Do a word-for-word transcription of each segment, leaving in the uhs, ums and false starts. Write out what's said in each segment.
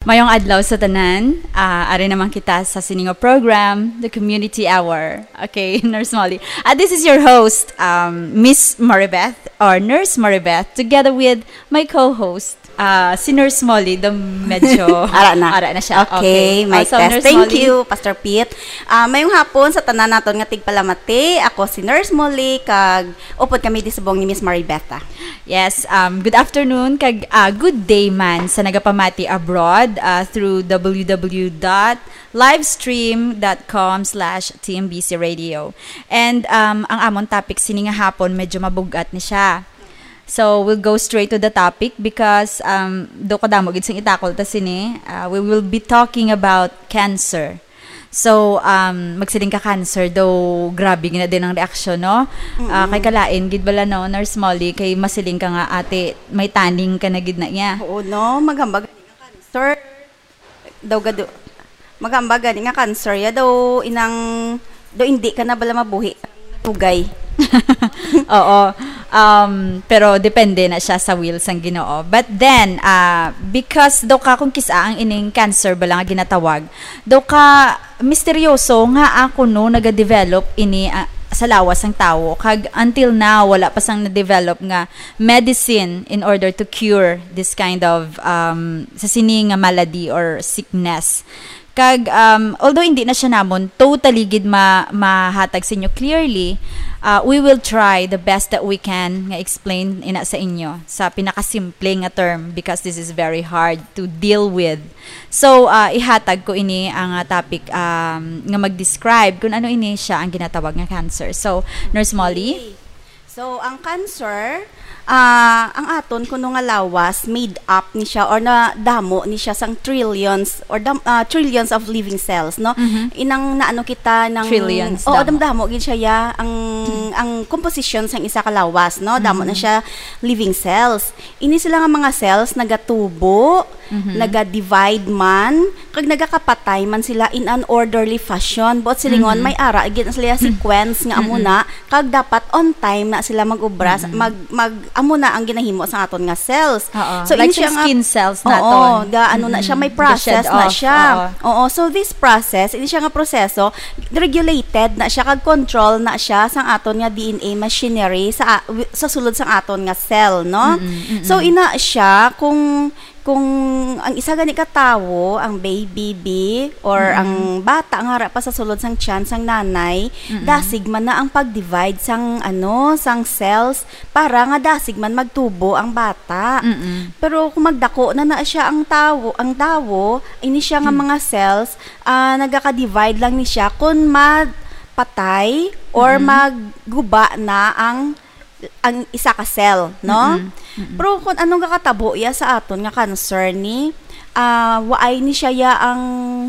Mayong adlaw sa tanan. Ah, ari naman kita sa sini nga program, The Community Hour. Okay, Nurse Molly. Ah, this is your host, um, Miss Maribeth, or Nurse Maribeth, together with my co-host, ah, si Nurse Molly, the medyo Ara na. Ara na siya. Okay, Okay. mic Ah, so, test. Nurse Thank Molly. you, Pastor Pete. Ah, mayong hapon sa tanan naton nga tigpalamati. Ako si Nurse Molly, kag upod kami di subong ni Miss Maribeth, ah. Yes, um, good afternoon, kag, ah, good day man sa nagapamati abroad, ah, through w w w dot livestream dot com slash t m b c radio. And, um, ang amon topic sini nga hapon, medyo mabugat ni siya. So, we'll go straight to the topic because, um, do kadamo gid sing itakol ta sini. Uh, we will be talking about cancer. So, um, magsiling ka cancer, daw grabe gid na din ang reaksyon, no? Ah, Mm-mm. kay kalain gid bala, no, Nurse Molly, kay masiling ka nga, ate, may tanning ka na gid na iya. Oo, no? Maghambag gani nga cancer. Daw gado. Maghambag gani nga cancer ya daw inang daw hindi ka na bala mabuhi. Tugay. Oo. Um, pero depende na siya sa will sang Ginoo. But then, ah, because daw ka kung kis-a ang ining cancer bala nga ginatawag, daw ka misteryoso nga ako no nagadevelop ini, ah, sa lawas sang tawo. Kag until now, wala pa sang na-develop nga medicine in order to cure this kind of, um, sa sini nga malady or sickness. Kag, um, although hindi na siya namon totally gid ma-, mahatag sa inyo clearly, uh, we will try the best that we can nga explain ina sa inyo sa pinakasimple nga term because this is very hard to deal with. So, uh, ihatag ko ini ang, uh, topic, um, nga mag-describe kung ano ini siya ang ginatawag nga cancer. So, Nurse Molly? Okay. So, ang cancer, ah, ang aton kuno nga lawas, made up ni siya or nadamo ni siya sang trillions or dam-, ah, trillions of living cells, no? Mhm. Inang naano kita ng Trillions, Oo, damo. damdamo gid siya, ya. Ang, ang composition sang isa ka lawas, no? Damo na Mhm. siya living cells. Ini sila nga mga cells nagatubo, Mhm. naga-divide man, kag nagakapatay man sila in an orderly fashion. Buot silingon, Mhm. may ara gid na sila sequence nga amo Mm-mm. na, kag dapat on time na sila mag-obra, Mm-mm. mag, mag, amo na ang ginahimo sa aton nga cells. Oo. So, Like ini siya sa nga skin cells Oo, naton. ga, ano na siya, may Mm-mm. process Ga-shed na off. siya. Oo. Oo, so this process, ini siya nga proseso, regulated na siya, kag control na siya sang aton nga D N A machinery sa a-, wi-, sa sulod sang aton nga cell, no? Mm-mm, mm-mm. So, ina siya, kung kung ang isa gani ka tawo, ang baby, or Mm-mm. ang bata nga ara pa sa sulod sang tiyan sang nanay, Mm-mm. dasig man na ang pag-divide sang, ano, sang cells para nga dasig man magtubo ang bata. Mm-mm. Pero kung magdako na na siya ang tawo, ang tawo, ini siya nga Hmm. mga cells, ah, nagaka-divide lang ni siya kung mapatay or Mm-mm. magguba na ang ang isa ka cell, no? Mm-mm. Mm-mm. Pero kung anong kakatabo iya sa aton nga cancer ni, ah, waay ni siya ya ang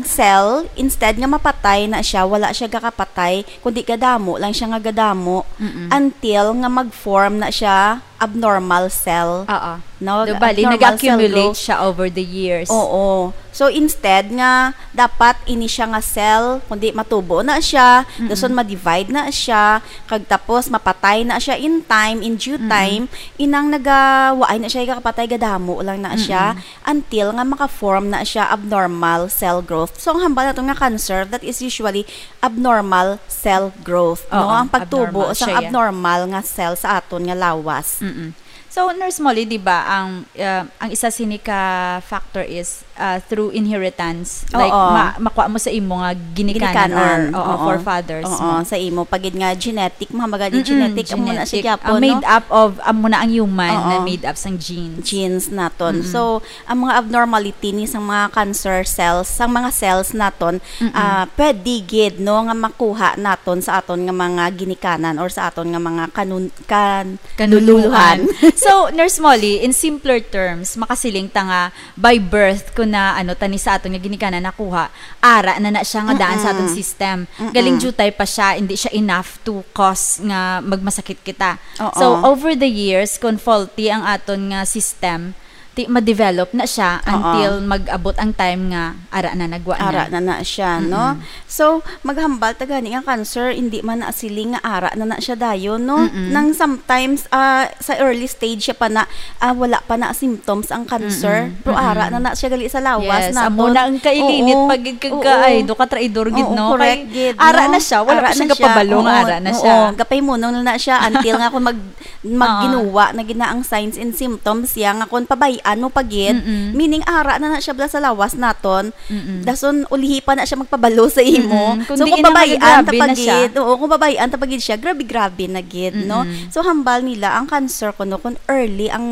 cell, instead nga mapatay na siya, wala siya gakapatay, kundi gadamo lang siya nga gadamo, Mm-mm. until nga mag-form na siya abnormal cell. Oo. No? Do, bali, Abnormal cell nag-accumulate growth. siya over the years. Oo. So, instead nga dapat ini siya nga cell, kundi matubo na siya, Mm-mm. dason ma-divide na siya, kag tapos mapatay na siya in time, in due Mm-mm. time, inang nagawaay na siya, ikakapatay, gadamo lang na siya, Mm-mm. until nga maka-form na siya abnormal cell growth. So, ang hambal nato nga cancer, that is usually abnormal cell growth, no? Oo, Ang pagtubo abnormal sang siya, yeah. abnormal nga cell sa aton nga lawas. Mm-mm. So, Nurse Molly, di ba, ang, uh, ang isa sini ka factor is, uh, through inheritance. Like, Oo. ma-, makuha mo sa imo nga ginikanan Ginikanan, or, oo, oo. forefathers Oo, mo. sa imo. Pagid nga genetic, mga baga ni Mm-mm, genetic, amo na siya genetic. gyapon, Ang made no? up of, amo na ang human na Oo. made up sang genes. Genes naton. Mm-mm. So, ang mga abnormality ni sang mga cancer cells, sang mga cells naton, Mm-mm. ah, pwede gid, no, nga makuha naton sa aton nga mga ginikanan or sa aton nga mga kanun-, kan-, Kanunuluhan. kanunuluhan. So, Nurse Molly, in simpler terms, makasiling ta nga by birth, kung na, ano, tani sa aton nga ginikanan nakuha, ara na na siya nga daan sa aton Mm-mm. system. Mm-mm. Galing jutay pa siya, hindi siya enough to cause nga magmasakit kita. Oo. So, over the years, kung faulty ang aton nga system, Ti ma-develop na siya Oo. until mag-abot ang time nga ara na nagwa na. Ara na na siya, no? Mm-mm. So, maghambal ta gani nga cancer, hindi man na siling nga ara na na siya dayon, no? Mm-mm. Nang sometimes, ah, sa early stage siya pa na, ah, wala pa na symptoms ang cancer, Mm-mm. pero ara Mm-mm. na na siya gali sa lawas Yes, naton. amo na ang kailinit Oo. pag Oo. kagkaay, do ka traidor gid, Oo, no? correct Kay gid, ara no? na siya, wala Ara pa siya na siya. gapabalo nga Oo, ara na oo. siya. Gapay mo na na siya until nga kung mag Oo. magginuwa na gid na ang signs and symptoms siya nga kung pabay-an mo pa gid, Mm-mm. meaning ara na na siya bala sa lawas naton, Mm-mm. dason ulihi pa na siya magpabalo sa imo. Mm-mm. Kung So, diin kung na babay-an ta magagrabe pa na siya. gid, oo, kung babay-an ta pa gid siya, grabe-grabe na gid, no? Mm-mm. So, hambal nila ang cancer kuno kung early ang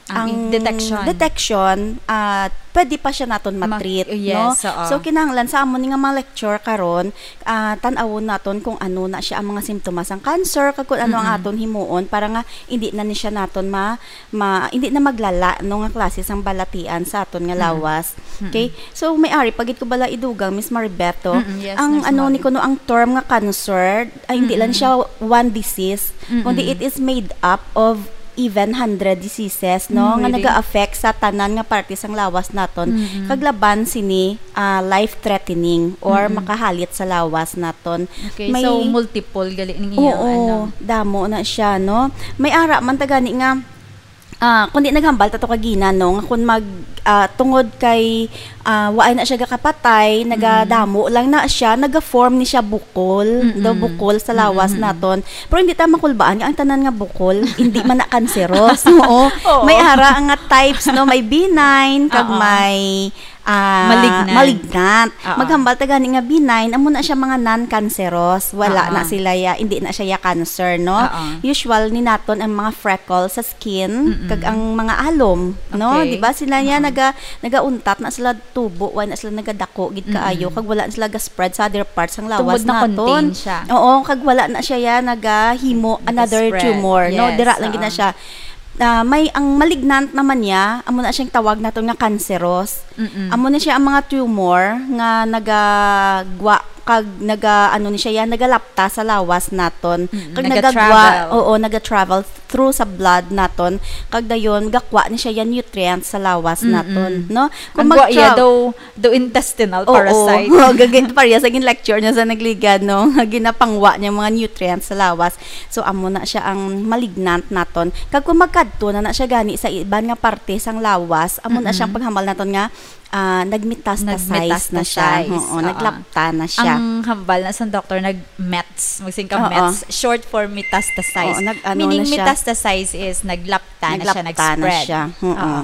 Ang ang i-, detection. detection, ah, pwede pa siya naton Ma-, ma-treat, yes, no? oo. So, kinahanglan sa amo ni nga mga lecture karon, ah, tan-awon naton kung ano na siya ang mga simptomas sang cancer, kag kung ano ang Mm-mm. aton himuon para nga hindi na ni siya naton ma-, ma-, hindi na maglala, no, nga klase sang balatian sa aton nga Mm-mm. lawas. Mm-mm. Okay? So, may ari pa gid ko bala idugang, Miss Maribeto. Mm-mm, yes, Ang Nurse ano ni Molly. kuno ang term nga cancer, ay, hindi lang Mm-mm. siya one disease, Mm-mm. kundi it is made up of even hundred diseases, no, Mm, nga really? naga-affect sa tanan nga parte sang lawas naton. Mm-mm. Kag laban sini, ah, life-threatening or Mm-mm. makahalit sa lawas naton. Okay, May so multiple gali ning iya, Oo, ano. damo na siya, no? May ara man ta gani nga, ah, kundi naghambal ta to kagina, no, nga kung mag, ah, tungod kay, ah, waay na siya gakapatay, Mm-mm. nagadamo lang na siya, naga-form ni siya bukol, Mm-mm. daw bukol sa lawas Mm-mm. naton. Pero hindi ta makulbaan nga ang tanan nga bukol, hindi man na kanseros. Oo. Oo. May ara nga types, no? May benign, kag Oo. may, ah, Malignant. malignant. Oo. Maghambal ta gani nga benign, amo na siya mga non-cancerous. Wala Oo. na sila ya, hindi na siya ya cancer, no? Oo. Usual ni naton ang mga freckles sa skin, Mm-mm. kag ang mga alom, no? Okay. Di ba? Sila niya Oo. naga-, nagauntat na sila tubo, wala na sila nagadako gid kaayo, Mm-mm. kag wala na sila ga-spread sa other parts sang lawas Tungod na naton. contained siya. Oo, kag wala na siya ya nagahimo another Nag-spread. tumor, no? Yes, Dira lang gid na oo. siya. Ah, may, ang malignant naman niya, amo na siyang tawag naton nga cancerous. Mm-mm. Amo na siya ang mga tumor nga nagagwa kag naga, ano ni siya yan, nagalapta sa lawas naton. Mm, Kag naga-travel. nagagwa, oo, naga-travel through sa blood naton. Kag dayon, gakwa ni siya yan nutrients sa lawas Mm-mm. naton, no? Kung Ang gwa iya mag-tra- daw, daw intestinal Oo. parasite. Gagay, pareha sa gin-lecture niya sa nagligad, no? Nga ginapangwa niya mga nutrients sa lawas. So, amo na siya ang malignant naton. Kag kung magkadto na na siya gani sa iban nga parte sang lawas, amo na Mm-mm. siyang paghambal naton nga, ah, nagmetastasize na siya. Nagmetastasize, Oo, oo. naglapta na siya. Ang hambal na sa doktor, nag-mets. Magsiling ka Oo. mets, short for metastasize. Oo, nag-ano Meaning, na siya. metastasize is naglapta na siya, Naglapta na nag-spread. siya. Oo. Oo.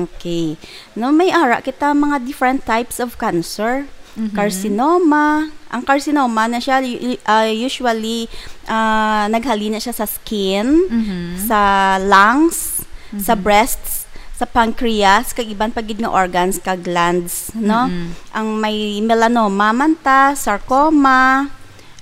Okay. No, may ara kita mga different types of cancer. Mhm. Carcinoma. Ang carcinoma na siya, u-, u-, ah, usually, ah, naghalin na siya sa skin, Mhm. sa lungs, sa Mhm. breasts, sa pancreas, kag iban pa gid nga organs kag glands, no? Mhm. Ang may melanoma man ta, sarcoma,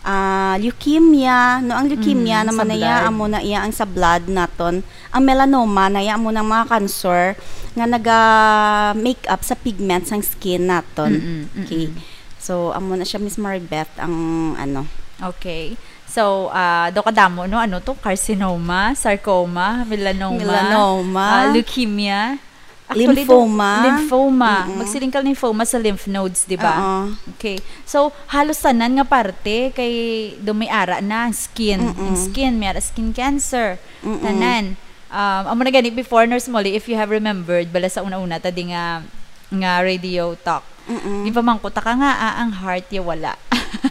ah, leukemia, no? Ang leukemia Mm, naman sa na iya, blood. amo na iya ang sa blood naton. Ang melanoma na iya, amo nang mga cancer nga naga-make up sa pigment sang skin naton. Mm-mm, Okay. mm-mm. So, amo na siya, Miss Maribeth, ang ano. Okay. So, ah, do kadamo, no? Ano to? Carcinoma, sarcoma, melanoma, Melanoma. ah, leukemia. Actually, do-, Lymphoma. lymphoma. Mm-mm. Magsiling ka lymphoma sa lymph nodes, di ba? Oo. Okay. So, halos tanan nga parte kay do may ara na ang skin. Mm-mm. Ang skin, may ara skin cancer. Mm-mm. Tanan. Um, amo na gani before, Nurse Molly, if you have remembered, bala sa una-una, ta di nga, nga radio talk. Mm-mm. Di pa man ko taka nga, ah, ang heart ya wala.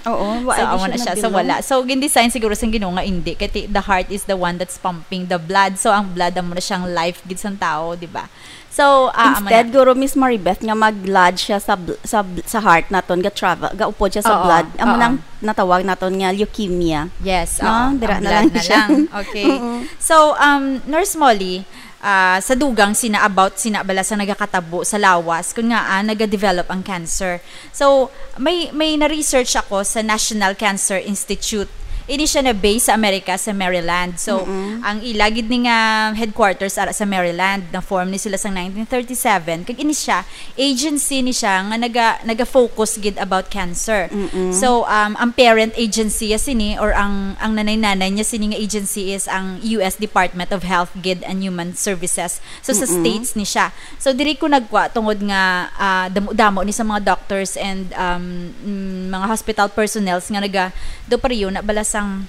Oo, So, wala di amo siya na siya. So, nabilong. wala. So, gin-design siguro sang Ginoo nga indi. Kay ti-, the heart is the one that's pumping the blood. So, ang blood, amo na siyang life gid sang tao, di ba? So, ah, amo Instead, na. guro, Miss Maribeth, nga mag-lodge siya sa bl-, sa bl-, sa heart naton, ga-travel, gaupod siya sa Oo, blood. Amo oo. nang natawag naton nga leukemia. Yes, No? oo. Dira Ang na blood lang na siya. lang. Okay. Oo. So, um, Nurse Molly, ah, sa dugang sina about sina bala sa nagakatabo sa lawas, kun nga, ah, nagadevelop ang cancer. So, may, may na-research ako sa National Cancer Institute. Ini siya na base sa Amerika, sa Maryland. So, ang ila gid ni nga headquarters ara sa Maryland, na form ni sila sang nineteen thirty-seven. Kag ini siya, agency ni siya nga naga naga-focus gid about cancer. So, um, ang parent agency ya sini, or ang ang nanay-nanay niya sini nga agency, is ang U S Department of Health gid and Human Services. So, sa States ni siya. So, diri ko nagkuha tungod nga, ah, damo-damo ni sa mga doctors and, um, mm, mga hospital personnels nga naga do pareho na bala sang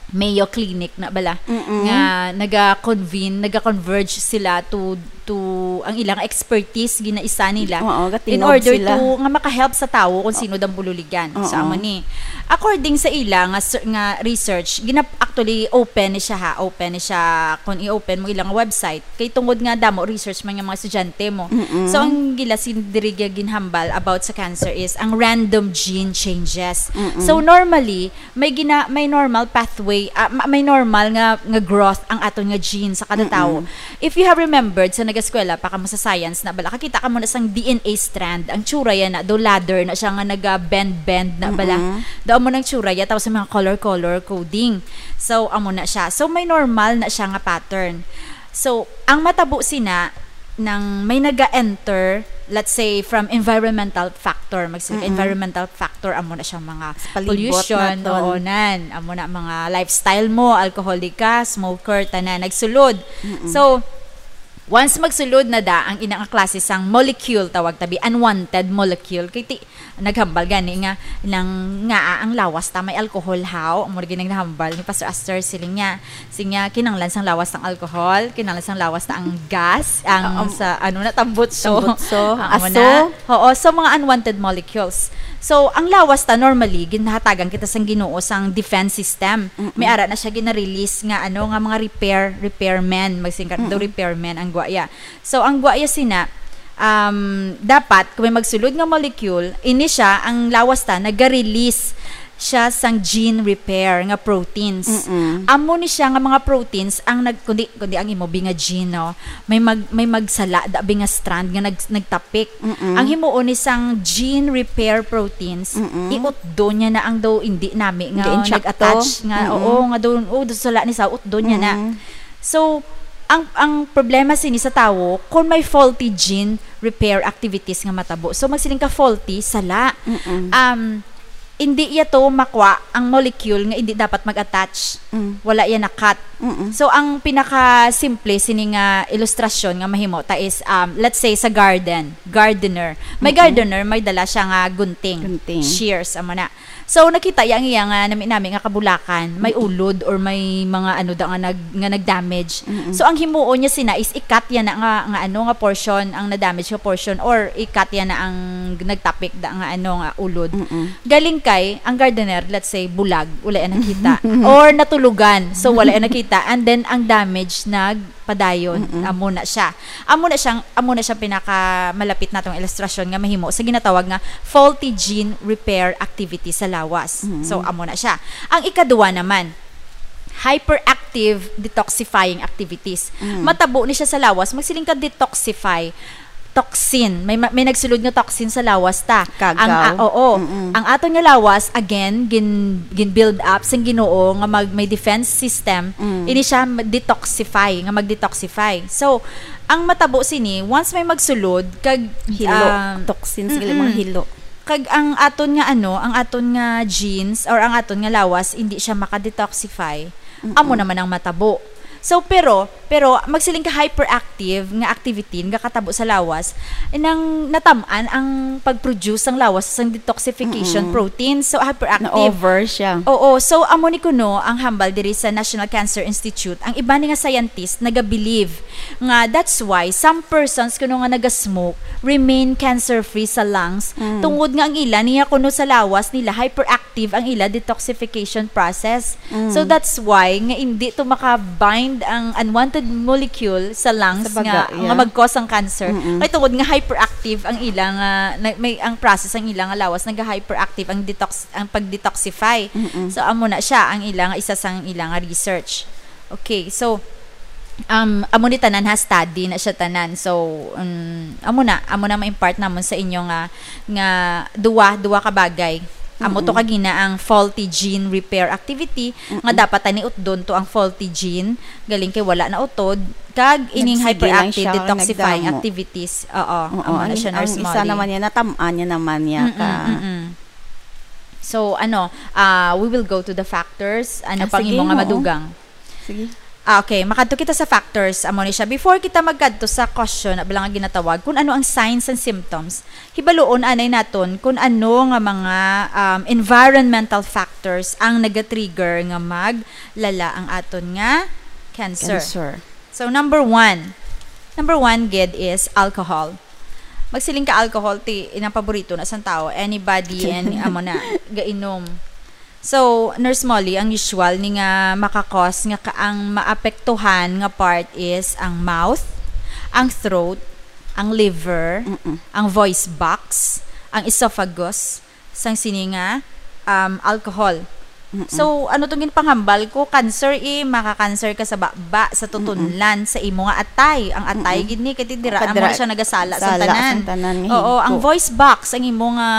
Mayo Clinic na bala, nga naga-convene, naga-converge sila to to ang ilang expertise, ginaisa nila, Oo, in gatingog order sila. To nga makahelp sa tawo kung sino dang bululigan. So, Oo. Amo ni. According sa ila nga ser-, nga research, ginap-, actually, open ni siya, ha, open ni siya. Kung i-open mo ilang website, kay tungod nga damo research man nga mga estudyante mo. So, ang gila sin diri nga ginhambal about sa cancer is ang random gene changes. So, normally, may gina-, may normal pathway, ah, ma-, may normal nga, nga growth ang aton nga gene sa kada tawo. If you have remembered sa nag-eskwela pa kamo sa science na bala, kakita kamo na sang D N A strand, ang tsura yan na, do ladder na siya nga naga-bend-bend na bala. Do amo nang tsura yan, tapos may mga color-color coding. So, amo na siya. So, may normal na siya nga pattern. So, ang matabo sina, nang may naga-enter, let's say, from environmental factor, mag-, environmental factor, amo na siyang mga Sa palibot pollution, naton. Oo, nan, amo na mga lifestyle mo, alcoholic ka, smoker, tanan, nagsulod. So, once magsulod na da, ang ina nga klase sang molecule, tawag tabi, unwanted molecule, kay ti-, naghambal gani nga, nang nga ang lawas ta may alcohol, haw, amo na gid ang nahambal ni Pastor Aster, siling niya. Sinya, kinahanglan sang lawas sang alcohol, kinahanglan sang lawas ta ang gas, ang Um, sa, ano na, tambutso. Tambutso, Amo aso. Na. Oo, so mga unwanted molecules. So, ang lawas ta, normally, ginhatagan kita sang Ginoo sang defense system. May ara na siya gina-release nga, ano, nga mga repair, repairmen, magsingkat do repairmen ang guaya. So, ang guaya sina, um, dapat, kung may magsulod nga molecule, ini siya, ang lawas ta, naga-release siya sang gene repair nga proteins. Amo ni siya nga mga proteins ang nag-, kundi, kundi ang imo bi nga gene, no? May mag-, may magsala da bi nga strand nga nag-, nagtapik. Ang himuon ni sang gene repair proteins, iutdo niya na ang daw indi nami nga Hindi intsakto. Nag-attach nga, oo, nga daw, oh, daw sala ni sa utdo niya na. So, ang, ang problema sini sa tawo, kung may faulty gene repair activities nga matabo. So, magsiling ka faulty, sala. Um, hindi iya to makwa ang molecule nga hindi dapat mag-attach. Mm. Wala iya na-cut. Mm-mm. So, ang pinaka-simple sini nga ilustrasyon nga mahimo ta is, um, let's say, sa garden, gardener. May Mm-mm. gardener, may dala siya nga gunting. Gunting. Shears, amo na. So, nakita iya ang iya nga nami-nami nga kabulakan, may Mm-mm. ulod or may mga ano da nga nag-, nga nag-damage. Mm-mm. So, ang himuon niya sina is i-cut iya na nga, nga ano, nga portion, ang na-damage nga portion, or i-cut iya na ang nagtapik da nga ano, nga ulod. Mm-mm. Galing kay, ang gardener, let's say, bulag, wala iya nakita. Or natulugan, so wala iya nakita. And then, ang damage nag- padayon. Mm-mm. Amo na siya. Amo na siyang, amo na siyang pinakamalapit natong ilustrasyon nga mahimo sa ginatawag nga faulty gene repair activity sa lawas. Mm-mm. So, amo na siya. Ang ikaduha naman, hyperactive detoxifying activities. Mm. Matabo ni siya sa lawas, magsiling ka detoxify, toxin. May ma-, may nagsulod nga toxin sa lawas ta. Kagaw. Ang, ah, oo. Mm-mm. Ang aton nga lawas, again, gin-, gin-build up sang Ginoo nga mag-, may defense system. Mm. Ini siya ma-, detoxify, nga mag-detoxify. So, ang matabo sini, once may magsulod, kag, Hilo. ah, Toxins, gali, mga mm-mm. hilo. Kag ang aton nga ano, ang aton nga genes or ang aton nga lawas, hindi siya maka-detoxify. Mm-mm. Amo naman ang matabo. So, pero, pero magsiling ka hyperactive nga activity nga katabo sa lawas, nang natam-an ang pag-produce sang lawas sang detoxification Mm-mm. protein. So, hyperactive. Na-over siya. Oo. So, amo ni kuno ang hambal diri sa National Cancer Institute. Ang iban nga scientist naga-believe nga that's why some persons kuno nga naga-smoke remain cancer-free sa lungs Mm. tungod nga ang ila niya kuno sa lawas nila hyperactive ang ila detoxification process. Mm. So that's why nga hindi to maka-bind ang unwanted molecule sa lungs Sa baga, nga, yeah. nga mag-cause ang cancer. Mm-mm. Kay tungod nga hyperactive ang ila nga, na, may ang process ang ila nga lawas, nag-hyperactive ang detox, ang pag-detoxify. Mm-mm. So amo na siya ang ila nga isa sang ila nga research. Okay, so um amo ni tanan ha, study na siya tanan. So um, amo na, amo na ma-impart namon sa inyo nga nga duwa, duwa ka bagay. Amo to Mm-mm. kagina ang faulty gene repair activity, nga Mm-mm. dapat taniutdon to ang faulty gene, galing kay wala na utod, kag ining Nagsige lang hyperactive siya, detoxifying nagdamo. activities. Oo, Oo, amo na ang, siya, ang Nurse isa Molly. naman niya, natam-an niya naman niya Mm-mm, ka. mm-mm. So, ano, ah, we will go to the factors. Ano Ah, pang sige, imo nga oo. madugang? Sige. Ah, okay, makadto kita sa factors. Amo ni siya. Before kita magkadto sa question, na lang nga ginatawag, kung ano ang signs and symptoms, hibaluon anay naton kung ano nga mga, um, environmental factors ang nagatrigger nga maglala ang aton nga cancer. Cancer. So, number one. Number one, gid, is alcohol. Magsiling ka alcohol, ti, inang paborito na sang tao. Anybody, and amo na, gainom. So, Nurse Molly, ang usual ni nga makakos nga ka-, ang maapektuhan nga part is ang mouth, ang throat, ang liver, Mm-mm. ang voice box, ang esophagus, sang sini nga, um, alcohol. Mm-mm. So, ano tong ginpanghambal ko? Cancer, eh, maka-cancer ka sa baba, sa Mm-mm. tutunlan, sa imo nga atay. Ang atay, Mm-mm. gid ni, kay dira, Kadra-, amo na siya nagasala sa sala tanan. Sa tanan nga Oo, ang higko. Voice box, ang imo nga,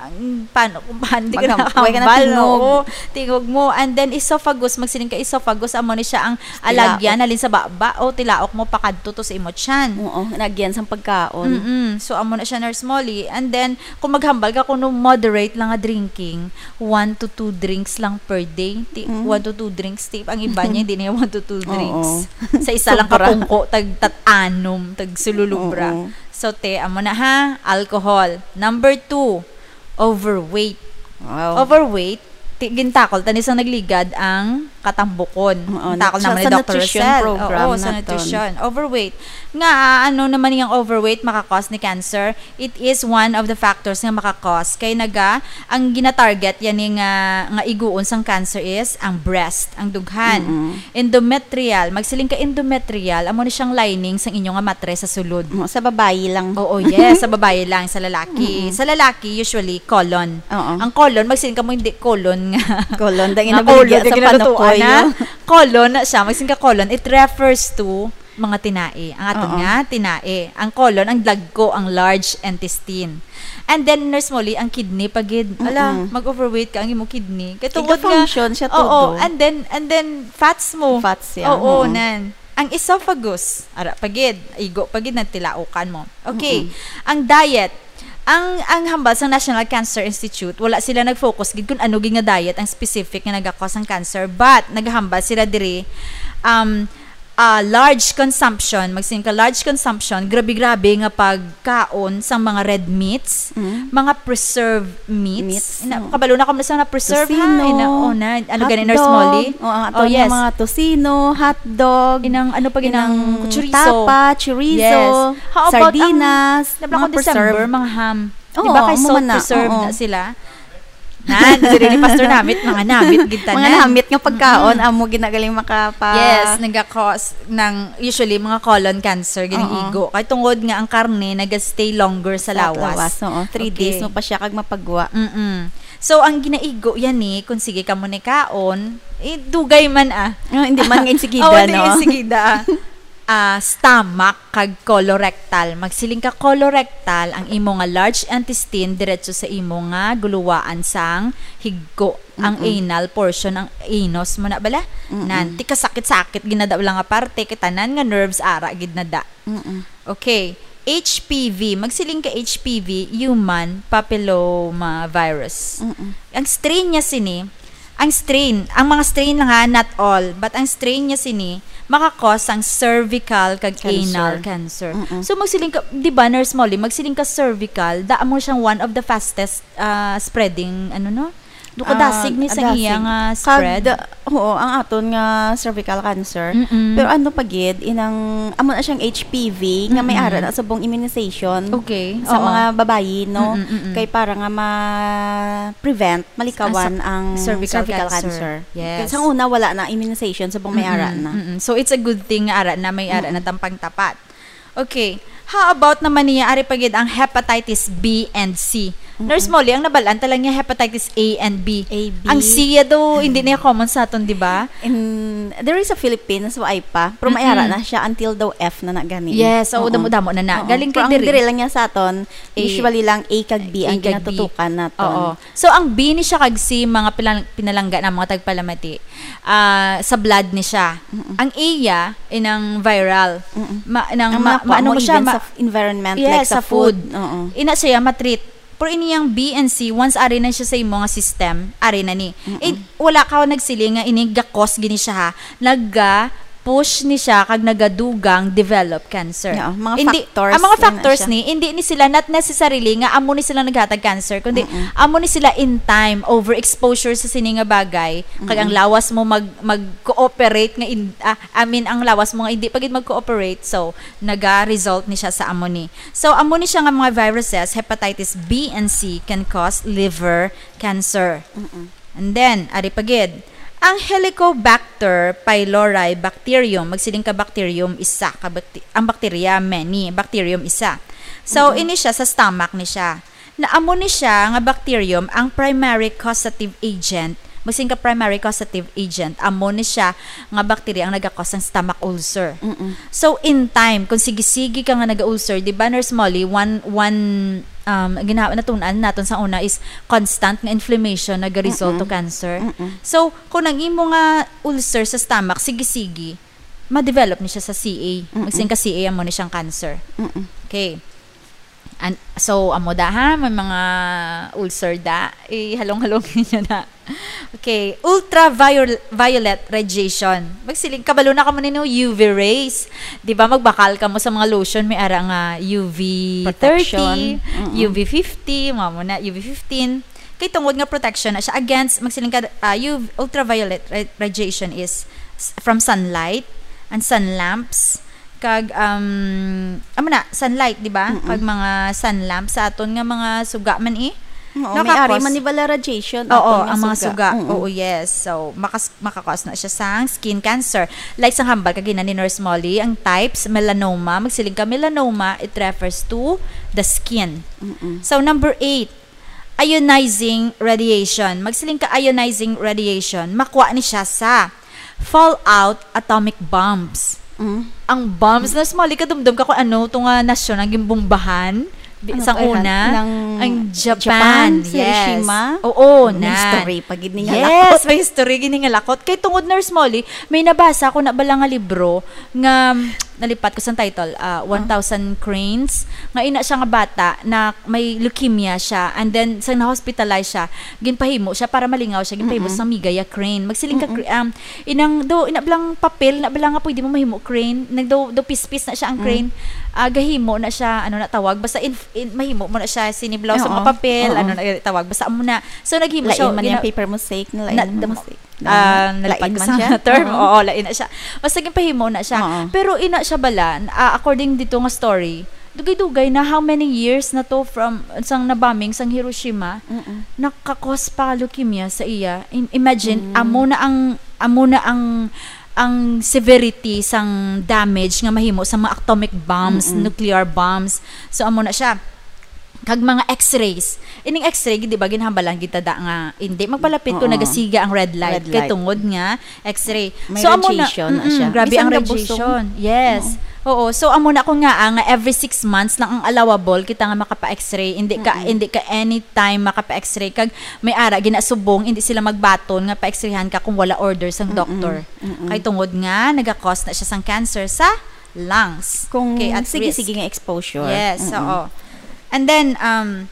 ang paano, kung paano di ka Magam-, nakahambal, way ka na tingog. Oo, tingog mo. And then, esophagus, magsiling ka esophagus, amo ni siya ang Tilaok. alagyan, halin sa baba, o tilaok mo, pakadto to sa imo tiyan. Oo, alagyan sang pagkaon. Mm-mm. So, amo na siya, Nurse Molly. And then, kung maghambal ka kuno moderate lang nga drinking, one to two drinks lang per day. Ti-, Mm. one to two drinks, ti-, ang iba niya, hindi niya one to two Oo. drinks. Sa isa lang ka Sobra. pungko, tag tat-anom, tag sululubra. Oo. So, te, amo na ha, alcohol. Number two, overweight. Wow. Overweight, ti-, gintakol, tani sa nagligad ang katambukon. Oo, Takol sa, naman ni sa Doctor nutrition Rosel. program Oo, sa naton. nutrition. Overweight. Nga, ah, ano naman yung overweight makakos ni cancer? It is one of the factors nga makakos. Kay naga, ang ginatarget yan ni nga, nga iguon sang cancer is ang breast, ang dughan. Mm-mm. Endometrial, magsiling ka endometrial, amo ni siyang lining sang inyo nga matre sa sulod. Mo, sa babayi lang. Oo, yes, sa babayi lang, sa lalaki. Mm-mm. Sa lalaki, usually, colon. Oo. Ang colon, magsiling ka mo, hindi colon nga. Colon, dahil Nga nabiligya colon, sa yung ginalutuan panukoy, na. oh. Colon na siya, magsiling ka colon, it refers to mga tinae. Ang aton Oo. nga, tinae. Ang colon, ang dagko, ang large intestine. And then, Nurse Molly, ang kidney pa gid. Ala, Mm-mm. mag-overweight ka, ang imo kidney. Kay tungod nga, Iga-function siya oo, todo. and then, and then, fats mo. Fats siya, Oo, oo. nan. Ang esophagus, ara pa gid, igo pa gid, nagtilaukan mo. Okay, Mm-mm. ang diet, ang, ang hambal sa National Cancer Institute, wala sila nag-focus gid kung ano gid nga diet ang specific nga nagakos ang cancer, but naghambal sila diri, um, ah, large consumption, magsiling ka large consumption, grabe-grabe nga pagkaon sang mga red meats, Mm. mga preserved meats. Meats, Ina-, oo. kabalo na ko sa na preserve, ha? Tocino, Ina-, oh, na, ano gani, Nurse hotdog, Molly? oh, ang ato Oh, nga yes. mga tocino, hotdog, Inang, ano pa, inang inang chorizo. tapa, chorizo, Yes. How about ang sardinas, nabla ko mga December, preserved. mga ham? Di Oo, ba kay amo salt man na, preserved oo. na sila? Nan, diri ni Pastor namit, mga namit gid tanan. Mga namit nga pagkaon, Mm-mm. amo ginagaling makapa- Yes, nagakos ng, usually, mga colon cancer, ganing Oo. igo. Kay tungod nga ang karne naga-stay longer sa Sa lawas. lawas, oo. Three Okay. days mo pa siya kag mapagwa. Mm-mm. So, ang ginaigo yan ni, kung sige ka mo ni kaon, eh, dugay man, ah. Oh, hindi man nga insigida, Oo, hindi no? insigida, ah. Ah, stomach kag colorectal. Magsiling ka colorectal, ang imo nga large intestine diretso sa imo nga guluwaan sang higko, ang Mm-mm. anal portion, ang anus mo na bala? Mm-mm. Nan, ti kasakit-sakit ginada lang nga parte, kay tanan nga nerves ara gid na da. Mm-mm. Okay. H P V, magsiling ka H P V, human papilloma virus. Mm-mm. Ang strain niya sini, ang strain, ang mga strain lang ha, not all, but ang strain niya sini, makakos ang cervical kag Cancer. anal cancer. Mm-mm. So, magsiling ka, di ba, Nurse Molly, magsiling ka cervical, da mo siyang one of the fastest, ah, spreading, ano, no? Do kadasig Ah, ni sa kadasig. iya nga Kag, spread. oo, ang aton nga cervical cancer. Mm-mm. Pero ano pa gid, inang, amo na siyang H P V, nga may Mm-mm. ara na subong immunization Okay, sa oo. mga babayi, no? Mm-mm, mm-mm. Kay para nga ma-prevent, malikawan Ang sa-, ang cervical cervical cancer. cancer. Yes. Kay sa una, wala na immunization, subong may ara Mm-mm, na. mm-mm. So, it's a good thing nga ara na, may ara na Mm-mm. tampang tapat. Okay. How about naman niya, ari pa gid ang hepatitis B and C? Mm-mm. Nurse Molly, ang nabalaan ta lang niya hepatitis A and B. A, B. Ang C ya daw, hindi niya common sa aton, di ba? In, there is a Philippines, wa ay pa. Pero may Mm-mm. ara na siya until daw F na na gani. Yes, oo, Oo. damo-damo na na. Oo. Galing Pero kay ang diri. diri lang niya sa aton, A. usually lang A kag B A ang kag B. ginatutukan naton. Oo. So, ang B ni siya kag C, mga pilang-, pinalangga na mga tagpalamati, ah, sa blood ni siya. Mm-mm. Ang A ya, inang viral. Mm-mm. Ma-, nang Ang ma-, mga kuha maano mo, mo siya, even ma-, sa f-, environment, yes, like sa sa food. food. Oo. Ina siya, matreat. Pero ini yang B and C, once ari na siya sa imo nga system, ari na ni. Mm-mm. Eh, wala ka nagsiling nga ini gakos gini siya, ha. Naga-push ni siya kag nagadugang develop cancer. Yeah, mga Hindi, factors ang mga din na factors siya. ni, hindi ni sila, not necessarily nga amo ni sila naghatag cancer, kundi Mm-mm. amo ni sila in time, overexposure sa sini nga bagay, kag ang Mm-mm. lawas mo mag, mag-cooperate nga in-, ah, I mean, ang lawas mo nga hindi pa gid mag-cooperate, so naga-result ni siya sa amo ni. So, amo ni siya nga mga viruses, hepatitis B and C can cause liver cancer. Mm-mm. And then, ari pa gid, ang Helicobacter pylori bacterium, magsiling ka bacterium, isa ka bakti-, ang bakterya, many, bacterium, isa. So, Mm-mm. ini siya sa stomach ni siya. Na amo ni siya nga bacterium ang primary causative agent. Magsiling ka primary causative agent, amo ni siya nga bacteria ang nagakos sang stomach ulcer. Mm-mm. So, in time, kung sige-sige ka nga naga-ulcer, di ba, Nurse Molly, one, one, um, gina-, natun-an naton sa una is constant nga inflammation nagaresult to Mm-mm. cancer. Mm-mm. So, kung ang imo nga ulcer sa stomach, sige-sige, ma-develop ni siya sa C A. Mm-mm. Magsiling ka C A, amo ni siyang cancer. Mm-mm. Okay. And, so, amo da, ha? May mga ulcer da. Ihalong-halong ninyo na. Okay. Ultraviolet radiation. Magsiling, kabalo na kamo nino U V rays. Di ba, magbakal kamo sa mga lotion, may ara nga U V thirty, Protection. Mm-mm. U V fifty, mga mo na, U V fifteen. Kay tungod nga protection na siya against, magsiling ka, ah, U V, ultraviolet ra-, radiation is s-, from sunlight and sun lamps. Kag, um, amo na, sunlight, di ba? Mm-mm. Kag mga sun lamps sa aton nga mga suga man, eh. Oo, may Nakakos-, ari man ni bala radiation, Oo, aton nga ang mga suga. suga. Mm-mm. Oo, yes. So, makas-, makakos na siya sang skin cancer. Like sang hambal kagina ni Nurse Molly, ang types, melanoma, magsiling ka melanoma, it refers to the skin. Mm-mm. So, number eight, ionizing radiation. Magsiling ka ionizing radiation, makuha ni siya sa fallout atomic bombs. Mm. Ang bombs, Nurse Molly, kadumdum ka kung ano to nga nasyon ang gimbombahan? Di, Ano sang pa, una, nang ang Japan, Japan, sa yes. Hiroshima? Oo, May na. history pa gid ni nga Yes, lakot. may history gid ni nga lakot. Kay tungod, Nurse Molly, may nabasa ko na bala nga libro nga, nalipat ko sa title, ah, Ah. One Thousand Cranes. Nga ina siya nga bata na may leukemia siya, and then sa na-hospitalize siya, ginpahimo siya para malingaw siya, ginpahimo Mm-mm. sa Megaya crane. Magsiling ka, Mm-mm. cra-, um, inang do, ina blang papel na bala nga pwede mo mahimo crane. Nagdo, do pispis na siya ang Mm. crane. Ah, gahimo na siya, ano na tawag, basta in, in, mahimo mo na siya, siniblaw sa Oo. mga papel, Oo. ano na tawag, basta amo na. So, naghimo Lain siya, man yung gina-, paper mosaic na lain na, ang dam-, mosaic. Ah, Lain nalipat ko man sa siya. term. Oo. Oo, lain na siya. Basta ginpahimo na siya. Oo. Pero ina siya bala, ah, according dito nga story, dugay-dugay na, how many years na to from sang na-bombing sang Hiroshima, Mm-mm. nakakos pa leukemia sa iya. In-, imagine, Mm. amo na ang, amo na ang, ang severity sang damage nga mahimo sa mga atomic bombs, Mm-mm. nuclear bombs. So, amo na siya. Kag mga X-rays. Ining X-ray, di ba, ginhambalan kita da nga hindi magpalapit kung Oo. nagasiga ang red light. Red Kay light. tungod nga X-ray. May So, amo na, radiation na mm-mm, siya. grabe Bisan ang nabusog. radiation. Yes. Oo. Oo. So, amo na ko nga, ah, nga every six months lang ang allowable kita nga makapa-X-ray. Hindi ka, Mm-mm. hindi ka anytime makapa-X-ray. Kag may ara, ginasubong, hindi sila magbaton nga pa-X-rayhan ka kung wala order sang Mm-mm. doktor. Mm-mm. Kay tungod nga, nagakos na siya sang cancer sa lungs. Kung Okay, at sige-sige risk. nga exposure. Yes, Mm-mm. oo. And then, um,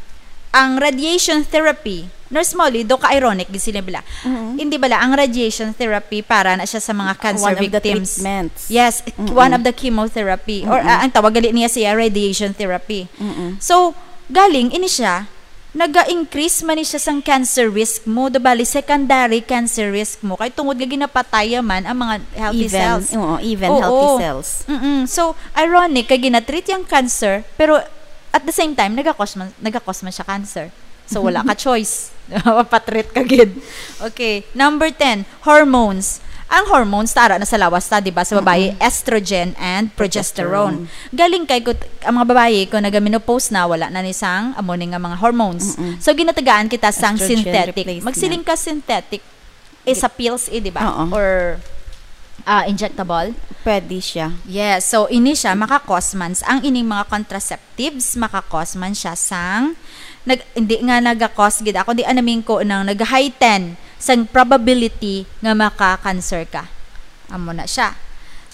ang radiation therapy, Nurse Molly, do ka-ironic gid sila bala. Mm-hmm. Hindi bala, ang radiation therapy para na siya sa mga cancer One of the victims. treatments. Yes, Mm-mm. one of the chemotherapy. Or, Mm-mm. ah, ang tawag gali niya siya, radiation therapy. Mm-mm. So, galing, ini siya, naga-increase man ni siya sang cancer risk mo, do bali, secondary cancer risk mo. Kay tungod nga ginapataya man ang mga healthy Even, cells. oo, even Oo. healthy cells. Mm-mm. So, ironic, kay ginatreat yung cancer, pero at the same time, nagakos man, nagakos man siya cancer. So, wala ka choice. Patreat ka gid. Okay. Number ten, hormones. Ang hormones, tara na sa lawas ta, di ba? Sa babayi, estrogen and progesterone. Galing kay kut-, ang mga babayi, kung naga-menopause na, wala na ni sang amo ni nga mga hormones. So, ginatagaan kita sang Estrogen synthetic. Replacement. Magsiling ka synthetic, is sa pills, eh, di ba? Oo. Or ah, injectable. Pwede siya. Yes. So, ini siya maka-cause man s-, ang ining mga contraceptives, maka-cause man siya sang, nag-, hindi nga naga-cause gid ako, di anaming ko nang nag-heighten sang probability nga maka-cancer ka. Amo na siya.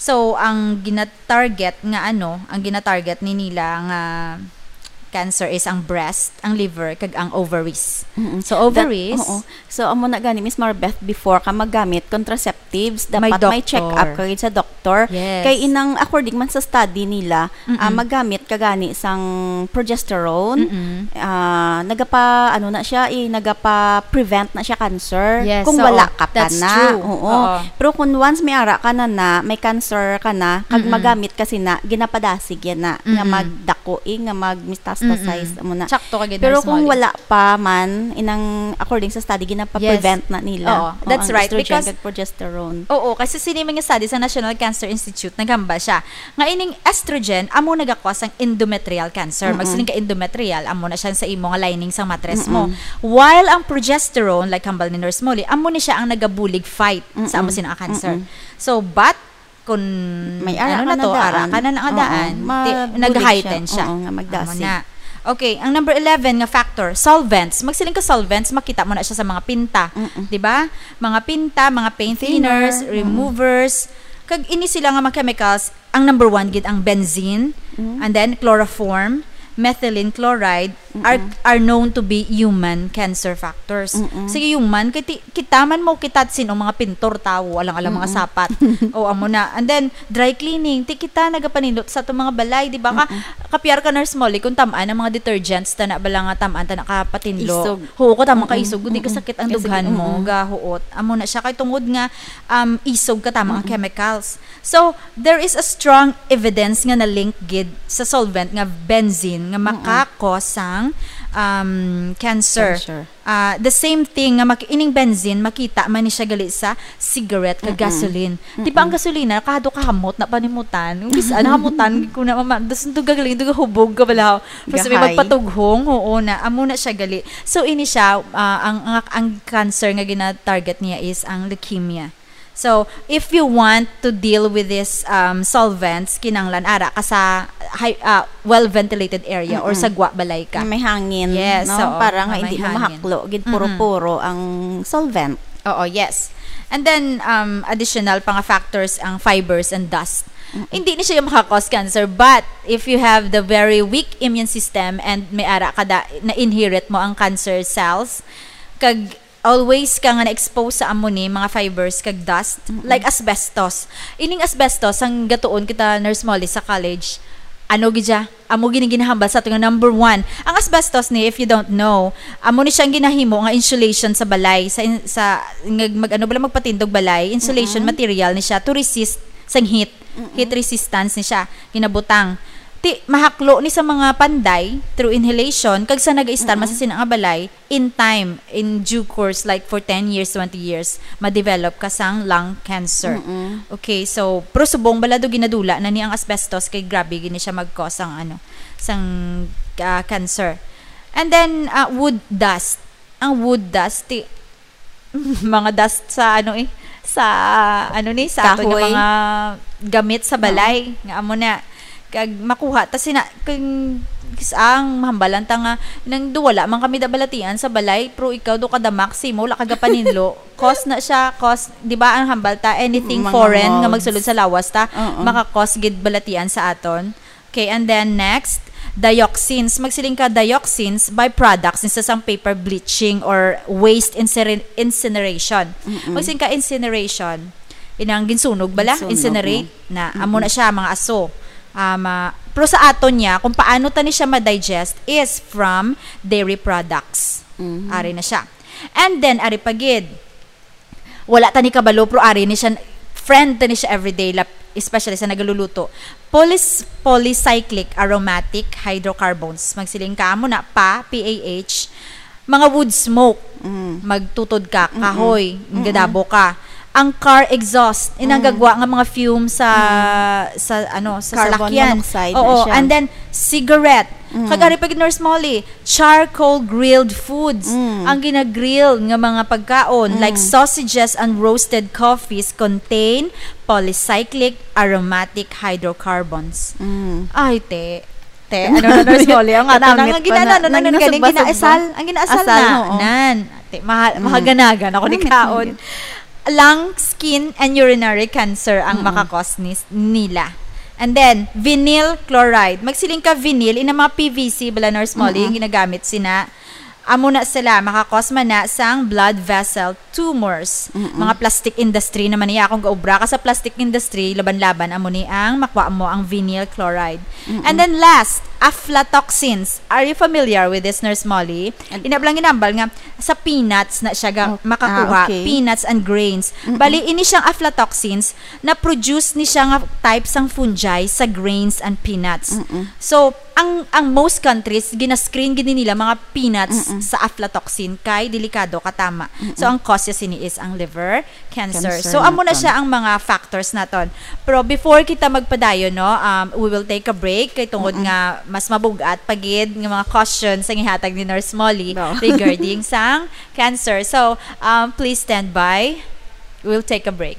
So, ang gina-target nga ano, ang gina-target ni nila nga cancer is ang breast, ang liver, kag ang ovaries. Mm-mm. So, That, ovaries, oo. So, amo na gani, Miss Marbeth, before ka maggamit contraceptives, May dapat may check-up doctor. ka gid sa doktor. Yes. Kay inang, according man sa study nila, Mm-mm. ah, maggamit ka gani sang progesterone, Mm-mm. ah, nagapa, ano na siya, eh, nagapa-prevent na siya cancer Yes, kung oo. wala ka pa That's na. true. Oo. Oo. Pero kung once may ara ka na na, may cancer ka na, kag Mm-mm. magamit ka sina, ginapadasig yan na, nga Mm-mm. magdako, eh, nga magmetastasize, Mm-mm. amo na. Sakto ka gid, Pero Nurse kung Molly. wala pa man, inang according sa study, ginapa-prevent Yes. na nila. Oo, Oo, that's ang right, estrogen because kag progesterone. Oo, kasi sini man nga study sa National Cancer Institute, naghambal siya nga ining estrogen amo nagakos ang endometrial cancer. Mm-mm. Magsiling ka endometrial, amo na siya sa imo nga lining sang matres mo. Mm-mm. While ang progesterone, like hambal ni Nurse Molly, amo ni siya ang nagabulig fight sa Mm-mm. amo sina nga cancer. Mm-mm. So, but kung May ara ano ka na na to, ara daan. ka na na nga Oo, daan, ma-, ti-, bulig nag-heighten siya. siya. Oo, nga magdasig. Amo na. Okay, ang number eleven nga factor, solvents. Magsiling ka solvents, makita mo na siya sa mga pinta. Mm-mm. Di ba? Mga pinta, mga paint Thinner. thinners, Mm-mm. removers. Kag ini sila nga mga chemicals, ang number one gid ang benzene, Mm. and then chloroform, methylene chloride, are, Mm-mm. are known to be human cancer factors. Mm-mm. Sa human, kay ti-, kita man mo, kita sin-o mga pintor, tawo, alang-alang mga Mm-mm. sapat. O, amo na. And then, dry cleaning. Ti kita nagapanindot sa atong mga balay, di ba? Ka-, Mm-mm. kapiar ka, Nurse Molly, kung tam-an ang mga detergents, tana bala nga tam-an, tana ka patinlo. Isog. Oo, ko tama ka Mm-mm. isog, kundi Mm-mm. kasakit ang Kasakit, dughan mo, mm-mm. gahuot. Amo na siya, kay tungod nga, um, isog ka tama ang Mm-mm. chemicals. So, there is a strong evidence nga na-link gid sa solvent nga benzene nga Mm-mm. makakos sang, um, cancer. Cancer. Ah, the same thing nga mak-, ining benzene, makita man ni siya gali sa cigarette kag Mm-mm. gasoline. Di ba ang Mm-mm. gasolina, kahado kahamot na panimutan? Yung bis-, ano, hamutan ko na, mama, das nito gagaling, ito hubog ka bala. Basta may Gahay. magpatughong, oo na, amo na siya gali. So, ini siya, ah, ang, ang, ang cancer nga gina-target niya is ang leukemia. So, if you want to deal with this, um, solvents, kinahanglan ara ka sa high, ah, well-ventilated area or Mm-mm. sa gwa balay ka. Nga may hangin, Yes, no? oo, Para nga nga may hindi mo hangin. mahaklo, gid Mm-mm. puro-puro ang solvent. Oo, yes. And then, um, additional pa nga factors ang fibers and dust. Mm-mm. Hindi ni siya yung makakos cancer, but if you have the very weak immune system and may ara ka da, na-inherit mo ang cancer cells, kag always ka nga na-expose sa amo ni mga fibers kag dust, Mm-mm. like asbestos. Ining asbestos, ang gatuon kita, Nurse Molly, sa college, ano gid siya? Amo gini ginahambal sa ato nga number one. Ang asbestos ni, if you don't know, amo ni siya ang ginahimo nga insulation sa balay, sa in-, sa, nga mag-, ano bala, magpatindog balay, insulation Mm-mm. material ni siya to resist sang heat. Mm-mm. Heat resistance ni siya, ginabutang. Ti, mahaklo ni sa mga panday through inhalation, kag sa nag-istar man Mm-mm. sa sina nga balay, in time, in due course, like for ten years, twenty years, ma-develop ka sang lung cancer. Mm-mm. Okay, so, pero subong bala do ginadula na ni ang asbestos kay grabe gini siya mag-cause sang, ano, sang, ah, cancer. And then, ah, wood dust. Ang wood dust, ti-, mga dust sa, ano, eh, sa, ano ni, sa aton nga Kahoy. mga gamit sa Oo. balay, nga amo na. Kag makuha ta sina, kung kis-, ang mahambalan ta nga, nang duwala man kami da balatian sa balay, pero ikaw do ka damak, simo, wala ka gapaninlo. Cause na siya, cause, di ba, ang hambal ta, anything Mga foreign nga molds. magsulod sa lawas ta, Oo. maka-cause gid balatian sa aton. Okay, and then next, dioxins. Magsiling ka, dioxins, byproducts ni sa sang paper bleaching or waste incinera-, incineration. Mm-mm. Magsiling ka, incineration. Inang ginsunog bala? Ginsunog, Incinerate mm. na. Amo Mm-mm. na siya, mga aso. Um, ah, pero sa aton niya, kung paano ta ni siya ma-digest is from dairy products. Mm. Ari na siya. And then, ari pa gid, wala ta ni kabalo, pero ari ni siya, friend ta ni siya everyday, lap-, especially sa nagaluluto. Polys-, polycyclic aromatic hydrocarbons. Magsiling ka, amo na, pa, P A H, mga wood smoke. Mm. Magtutod ka, Mm-mm. kahoy, Mm-mm. gadabo ka. ang car exhaust, inang Mm. gagwa nga mga fume sa sa ano sa Carbon salakyan. monoxide na Oo, siya. And then cigarette. Mm. Kag ari pa gid, Nurse Molly, charcoal grilled foods. Mm. Ang ginagrill nga mga pagkaon like Mm. sausages and roasted coffees contain polycyclic aromatic hydrocarbons. Mm. Ay, te. Te, ano na, Nurse Molly? Ang ato na, Namit ang pa ginaano na. na, Nang nang galing nasugba-sugba. ginaasal. Ang ginaasal Asal, na. Oo. Nan. Te, maha- Mm. mahaganagan ako ni Namit kaon. na Lung, skin, and urinary cancer ang Mm-mm. makakos ni, nila. And then, vinyl chloride. Magsiling ka vinyl, ina mga P V C bala, Nurse Molly, Mm-mm. yung ginagamit sina. Amo na sila, makakos man na sang blood vessel tumors. Mm-mm. Mga plastic industry naman niya. Kung gaubra ka sa plastic industry, laban-laban, amo ni ang makuha mo ang vinyl chloride. Mm-mm. And then last, aflatoxins. Are you familiar with this, Nurse Molly? And- Inablang ginambal nga sa peanuts na siya ga- Oh, makakuha. ah, okay. Peanuts and grains. Mm-mm. Bali, ini siyang aflatoxins na produce ni siya nga type sang fungi sa grains and peanuts. Mm-mm. So, ang ang most countries, gina-screen gid nila mga peanuts Mm-mm. sa aflatoxin kay delikado katama. Mm-mm. So, ang cause niya sini is ang liver cancer. Cancer So, amo na naton. siya ang mga factors naton. Pero before kita magpadayon, no, um, we will take a break kay tungod Mm-mm. nga mas mabugat pa gid nga mga questions ang ihatag ni Nurse Molly No. regarding sang cancer. So, um, please stand by. We'll take a break.